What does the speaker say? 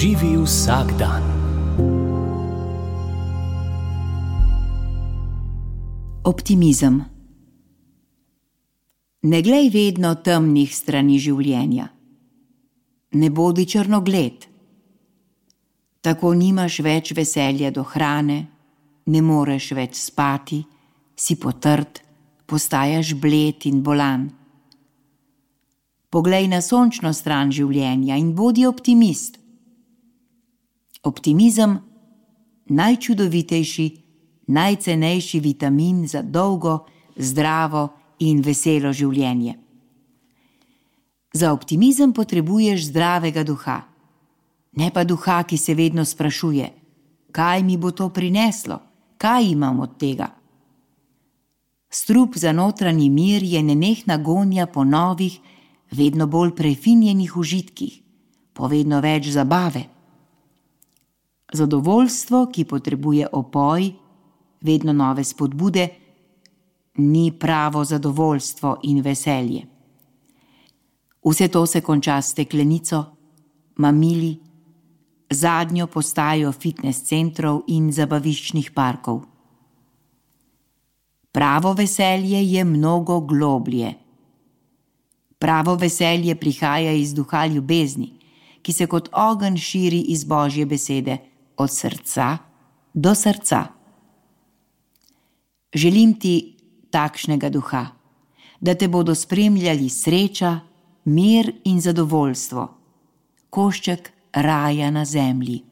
Živi vsak dan. Optimizem. Ne glej vedno temnih strani življenja. Ne bodi črnogled. Tako nimaš več veselja do hrane, ne moreš več spati, si potrt, postajaš bled in bolan. Poglej na sončno stran življenja in bodi optimist. Optimizem, najčudovitejši, najcenejši vitamin za dolgo, zdravo in veselo življenje. Za optimizem potrebuješ zdravega duha, ne pa duha, ki se vedno sprašuje, kaj mi bo to prineslo, kaj imam od tega. Strup za notranji mir je nenehna gonja po novih, vedno bolj prefinjenih užitkih, po vedno več zabave. Zadovoljstvo, ki potrebuje opoj, vedno nove spodbude, ni pravo zadovoljstvo in veselje. Vse to se konča s steklenico, mamili, zadnjo postajo fitnes centrov in zabaviščnih parkov. Pravo veselje je mnogo globlje. Pravo veselje prihaja iz duha ljubezni, ki se kot ogenj širi iz Božje besede, od srca do srca. Želim ti takšnega duha, da te bodo spremljali sreča, mir in zadovoljstvo, košček raja na zemlji.